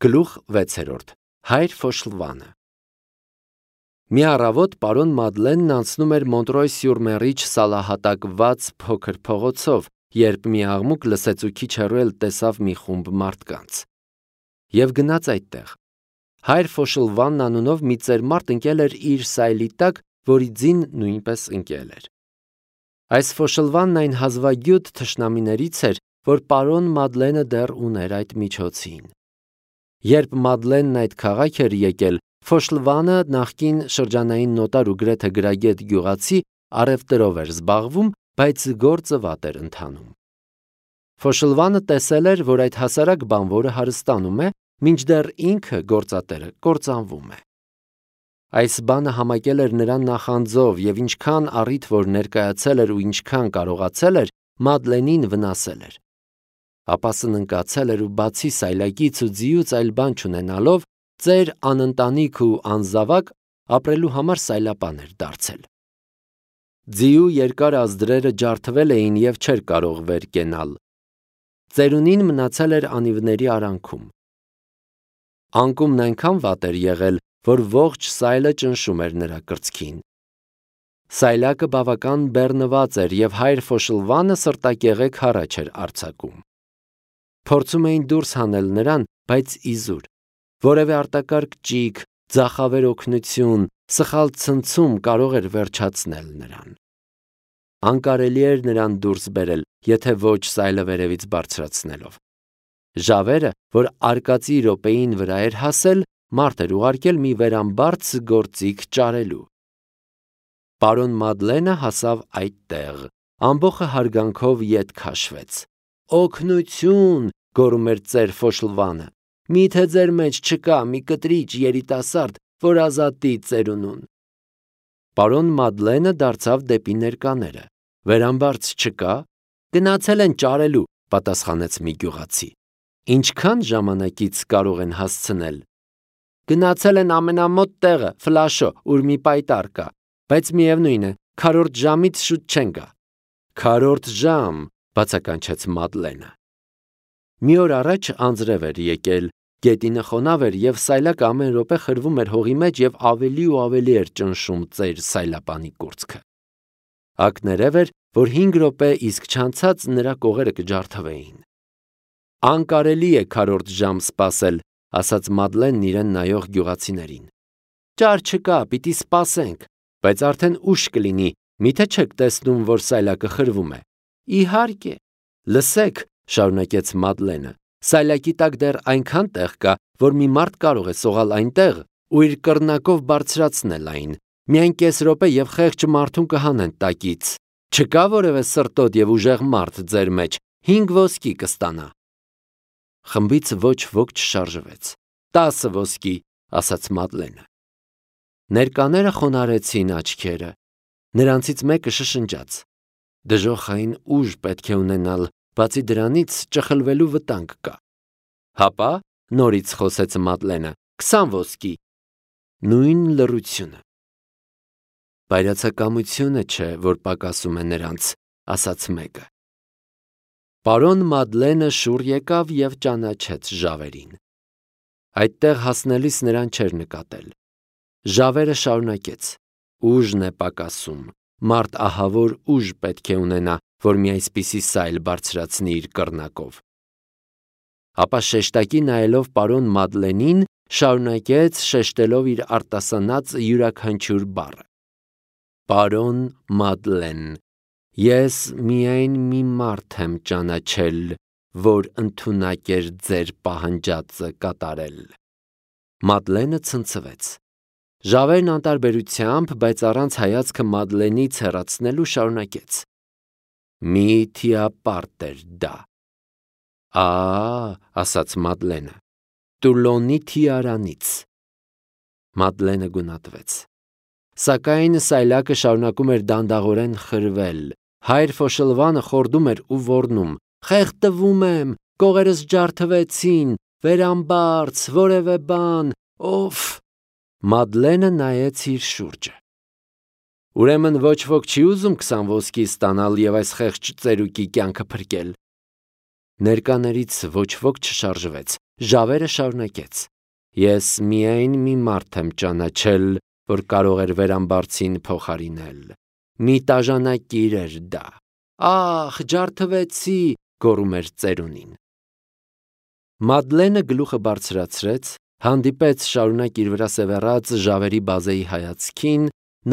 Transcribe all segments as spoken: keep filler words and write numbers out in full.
Գլուխ վեցերորդ Հայր Ֆոշլվանը Մի առավոտ պարոն Մադլենն անցնում էր Մոնտրոյ-սյուր-Մերիչ սալահատակված փոքր փողոցով, երբ մի աղմուկ լսեց ու քիչ հեռու էլ տեսավ մի խումբ մարդկանց։ Եվ գնաց այդտեղ։ Հայր Ֆոշլվանն անունով մի ծերմարդ ընկել էր իր սայլի տակ, որի ձին նույնպես ընկել էր։ Այս Ֆոշլվանն այն հազվագյուտ թշնամիներից էր, որ պարոն Մադլենը դեռ ուներ այդ միջոցին։ Երբ Մադլենն այդ քաղաք էր եկել, Ֆոշլվանը նախկին շրջանային նոտար ու գրեթե գրագետ գյուղացի առևտրով էր զբաղվում, բայց գործը վատ էր ընթանում։ Ֆոշլվանը տեսել էր, որ այդ հասարակ բանվորը հարստանում է, մինչդեռ ինքը գործատերը կործանվում է։ Այս բանը համակել էր նրան նախանձով և ինչքան առիթ որ ներկայացել էր ու ինչքան կարողացել էր, Մադլենին վնասել էր։ Ապա սննկացել էր ու բացի սայլակից ու ձիուց այլ բան չունենալով, ծեր անընտանիք ու անզավակ ապրելու համար սայլապան էր դարձել։ Ձիու երկար ազդրերը ջարդվել էին և չէր կարող վեր կենալ։ Ծերունին մնացել էր անիվների արանքում։ Անկումն այնքան վատ էր եղել, որ ողջ սայլը ճնշում էր նրա կրծքին։ Սայլակը բավական բեռնված էր և հայր Ֆոշլվանը սրտակեղեք հառաչ էր արձակում։ Փորձում էին դուրս հանել նրան, բայց իզուր։ Որևէ արտակարգ ճիգ, ձախավեր օգնություն, սխալ ցնցում կարող էր վերջացնել նրան։ Անկարելի էր նրան դուրս բերել, եթե ոչ սայլը վերևից բարձրացնելով։ Ժավերը, որ արկածի րոպեին վրա էր հասել, մարդ էր ուղարկել մի վերամբարձ գործիք ճարելու։ Պարոն Մադլենը հասավ այդտեղ, ամբոխը հարգանքով ետ քաշվեց։ «Օգնություն», գոռում էր ծեր Ֆոշլվանը, «միթե ձեր մեջ չկա մի կտրիչ երիտասարդ, որ ազատի ծերունուն»։ Պարոն Մադլենը դարձավ դեպի ներկաները։ «Վերամբարձ չկա»։ «Գնացել են ճարելու», պատասխանեց մի գյուղացի։ «Ինչքան ժամանակից կարող են հասցնել»։ «Գնացել են ամենամոտ տեղը, Ֆլաշո, ուր մի պայտառ կա, բայց միևնույն է, քառորդ ժամից շուտ չեն գա»։ «Քառորդ ժամ», բացականչեց Մադլենը։ Մի օր առաջ անձրև էր եկել, գետինը խոնավ էր և սայլակը ամեն րոպե խրվում էր հողի մեջ և ավելի ու ավելի էր ճնշում ծեր սայլապանի կուրծքը։ Ակներև էր, որ հինգ րոպե իսկ չանցած նրա կողերը կջարդվեին։ «Անկարելի է քառորդ ժամ սպասել», ասաց Մադլենն իրեն նայող գյուղացիներին։ «Ճար չկա, պիտի սպասենք, բայց արդեն ուշ կլինի, միթե չեք տեսնում, որ սայլակը խրվում է»։ «Իհարկե, լսեք», շարունակեց Մադլենը, «սայլակի տակ դեռ այնքան տեղ կա, որ մի մարդ կարող է սողալ այնտեղ ու իր կռնակով բարձրացնել այն, միայն կես րոպե և խեղճ մարդուն կհանեն տակից։ Չկա որևէ սրտոտ և ուժեղ մարդ ձեր մեջ, հինգ ոսկի կստանա»։ Խմբից ոչ ոք չշարժվեց։ «Տասը ոսկի», ասաց Մադլենը։ Ներկաները խոնարհեցին աչքերը։ Նրանցից մեկը շշնջաց. «Դժոխային ուժ պետք է ունենալ, բացի դրանից ճխլվելու վտանգ կա»։ «Հապա», նորից խոսեց Մադլենը, «քսան ոսկի»։ Նույն լռությունը։ «Բայրացակամությունը չէ, որ պակասում է նրանց», ասաց մեկը։ Պարոն Մադլենը շուռ եկավ և ճանաչեց ժավերին։ Այդտեղ հասնելիս նրան չէր նկատել։ Ժավերը շարունակեց. «Ուժն է պակասում, մարդ ահավոր ուժ պետք է ունենա, որ մի այսպիսի սայլ բարձրացնի իր կռնակով»։ Ապա շեշտակի նայելով պարոն Մադլենին, շարունակեց շեշտելով իր արտասանած յուրաքանչյուր բառը. «Պարոն Մադլեն, ես միայն մի մարդ եմ ճանաչել, որ ընդունակ էր ձեր պահանջածը կատարել»։ Մադլենը ցնցվեց։ Ժավերն անտարբերությամբ, բայց առանց հայացքը Մադլենից հեռացնելու շարունակեց. «Մի թիապարտ էր դա»։ «Ա՜», ասաց Մադլենը, «Տուլոնի թիարանից»։ Մադլենը գունատվեց։ Սակայն սայլակը շարունակում էր դանդաղորեն խրվել։ Հայր Ֆոշլվանը խորդում էր ու ոռնում. «Խեղդվում եմ, կողերս ջարդվեցին, վերամբարձ, որևէ բան, օֆ»։ Մադլենը նայեց իր շուրջը։ «Ուրեմն ոչ ոք չի ուզում քսան ոսկի ստանալ և այս խեղճ ծերուկի կյանքը փրկել»։ Ներկաներից ոչ ոք չշարժվեց, Ժավերը շարունակեց. Ես միայն մի մարդ եմ ճանաչել, որ կարող էր վերամբարձին փոխարինել։ Մի տաժանակիր էր դա։ Ախ, ջարդվեցի, գոռում էր ծերունին։ Մադլենը գլուխը բարձրացրեց, հանդիպեց շարունակ իր վրա սևեռած ժավերի բազեի հայացքին,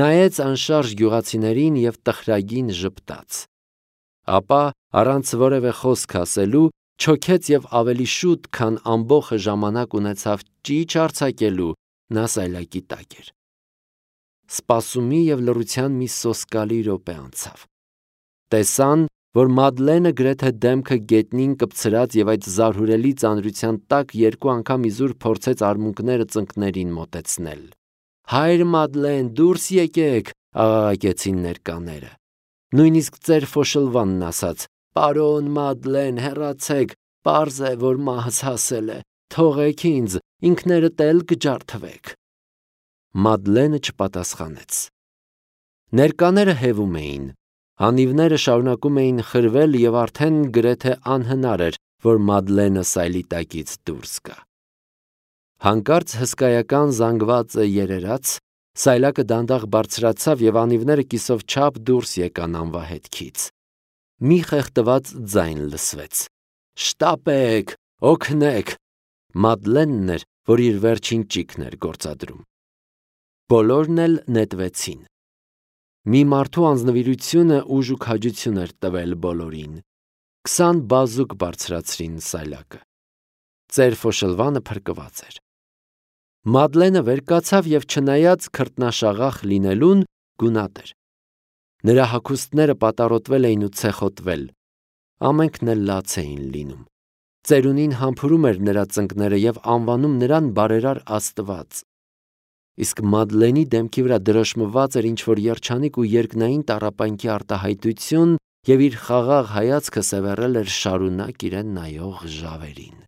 նայեց անշարժ գյուղացիներին և տխրագին ժպտաց։ Ապա, առանց որևէ խոսք ասելու, չոքեց և ավելի շուտ, քան ամբոխը ժամանակ ունեցավ ճիչ արձակելու, նա սայլակի տակ էր։ Սպասումի և լռության մի սոսկալի րոպե անցավ։ Տեսան, որ Մադլենը գրեթե դեմքը գետնին կպցրած և այդ զարհուրելի ծանրության տակ երկու անգամ իզուր փորձեց արմունկները ծնկներին մոտեցնել։ Հայր Մադլեն, դուրս եկեք, աղաղակեցին ներկաները։ Նույնիսկ ծեր Ֆոշլվանն ասաց. Պարոն Մադլեն, հեռացեք, պարզ է, որ մահս հասել է, թողեք ինձ, ինքներդ էլ կջարդվեք։ Մադլենը չպատասխանեց։ Ներկաները հևում էին, հանիվները շարունակում էին խրվել և արդեն գրեթե անհնար էր, որ Մադլենը սայլի տակից դուրս գա։ Հանկարծ հսկայական զանգվածը երերաց, սայլակը դանդաղ բարձրացավ և անիվները կիսով չափ դուրս եկան անվահետքից։ Մի խեղդված ձայն լսվեց. Շտապեք, օգնեք։ Մադլենն էր, որ իր վերջին ճիգն էր գործադրում։ Բոլորն էլ նետվեցին։ Մի մարդու անձնվիրությունը ուժ ու քաջություն էր տվել բոլորին։ Քսան բազուկ բարձրացրին սայլակը։ Ծեր Ֆոշլվանը փրկված էր։ Մադլենը վեր կացավ և չնայած քրտնաշաղախ լինելուն, գունատ էր։ Նրա հագուստները պատառոտվել էին ու ցեխոտվել։ Ամենքն էլ լաց էին լինում։ Ծերունին համբուրում էր նրա ծնկները և անվանում նրան բարերար Աստված։ Իսկ Մադլենի դեմքի վրա դրոշմված էր ինչ-որ երջանիկ ու երկնային տառապանքի արտահայտություն, և իր խաղաղ հայացքը սևեռել էր շարունակ իրեն նայող ժավերին։